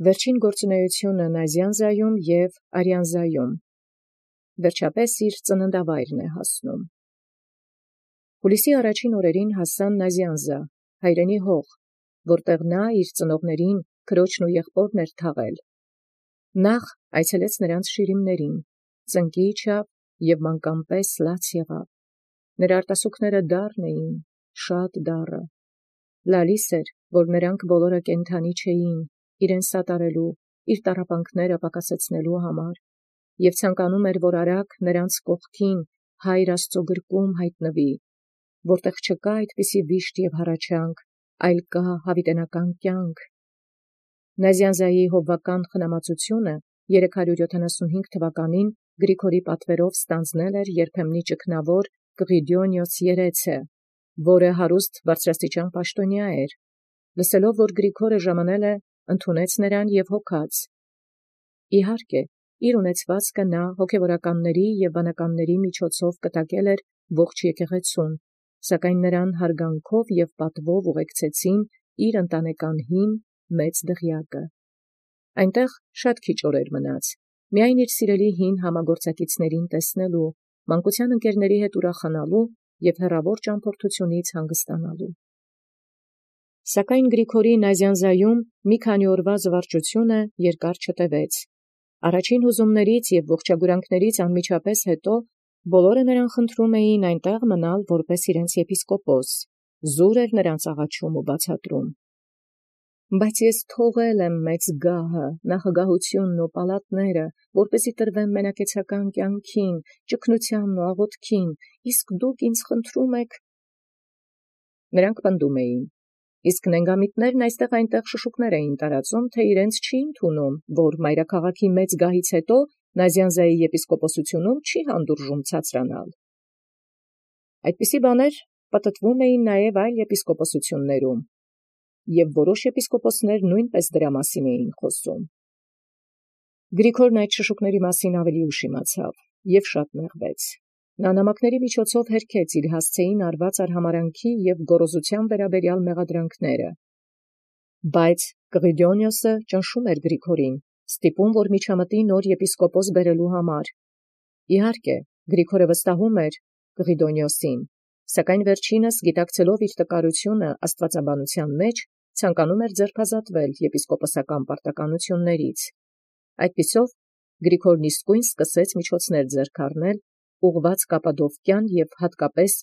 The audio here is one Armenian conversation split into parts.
Վերջին գործունեությունը Նազյանզայում և Արիանզայում, վերջապես իր ծննդավայրն հասնում։ Հուլիսի առաջին օրերին հասան Նազյանզա, հայրենի հող, որտեղ նա իր ծնողներին, քրոջն ու եղբորն էր թաղել։ Նախ այցելեց նրանց շիրիմներին, ծնկի իջավ և մանկամպես լաց եղավ։ Նրա արտասուքները դառն էին, շատ դառը։ Լալիս էր, որ նրանք բոլորը կենդանի չէին, իրեն սատարելու, իր տառապանքները պակասեցնելու համար, և ցանկանում էր, որ արագ նրանց կողքին Հայր Աստուծո գրկում հայտնվի, որտեղ չկա այդպիսի վիշտ և հառաչանք, այլ կա յաւիտենական կյանք։ Նազյանզայի հովվական խնամածությունը 375 թվականին Գրիգորի պատվերով ստանձնել էր երբեմնի ճգնավոր Կղիդոնիոս երէցը, որը հարուստ բարձրաստիճան պաշտոնյա էր, լսելով, որ Գրիգորը ժամանել է, ընդունեց նրան և հոգաց։ Իհարկե, իր ունեցվածքը նա հոգևորականների և բանականների միջոցով կտակել էր ողջ եկեղեցուն, սակայն նրան հարգանքով և պատվով ուղեկցեցին իր ընտանեկան հին մեծ դղյակը։ Այնտեղ շատ քիչ օրեր մնաց, միայն իր սիրելի հին համագործակիցներին տեսնելու, մանկության ընկերների հետ ուրախանալու և հեռավոր ճամփորդությունից հանգստանալու։ Սակայն Գրիգորի Նազյանզայում մի քանի օրվա զվարճությունը երկար չտևեց։ Առաջին հուզումներից և ողջագուրանքներից անմիջապես հետո բոլորը նրան խնդրում էին այնտեղ մնալ որպես իրենց եպիսկոպոս, զուր էր նրանց աղաչում ու բացատրում։ Բայց ես թողել եմ մեծ գահը, նախագահութիւնն ու պալատները, որպեսզի տրվեմ մենակեցական կյանքին, ճգնութեանն ու աղոթքին, իսկ դուք ինձ խնդրում եք։ Նրանք պնդում էին. իսկ նենգամիտներն այստեղ այնտեղ շշուկներ էին տարածում, թե իրենց չի ընդունում, որ մայրաքաղաքի մեծ գահից հետո Նազյանզայի եպիսկոպոսութիւնում չի հանդուրժում ցածրանալ։ Այդպիսի բաներ պտտվում էին նաև այլ եպիսկոպոսություններում, և որոշ եպիսկոպոսներ նույնպես դրա մասին էին խոսում։ Գրիգորն այդ շշուկների մասին ավելի ուշ իմացավ և շատ նեղվեց։ Նա նամակների միջոցով հերքեց իր հասցեին արված արհամարհանքի և գոռոզութեան վերաբերյալ մեղադրանքները։ Բայց Կղիդոնիոսը ճնշում էր Գրիգորին, ստիպում, որ միջամտի նոր եպիսկոպոս բերելու համար։ Իհարկե, Գրիգորը վստահում էր Կղիդոնիոսին, սակայն վերջինս, գիտակցելով իր տկարությունը աստվածաբանության մեջ, ցանկանում էր ձերբազատվել եպիսկոպոսական պարտականություններից։ Այդպիսով Գրիգորն իսկույն սկսեց միջոցներ ձեռք առնել, ուղղված Կապադովկյան և հատկապես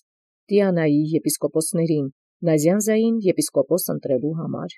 Տիանայի եպիսկոպոսներին, Նազյանզային եպիսկոպոս ընտրելու համար։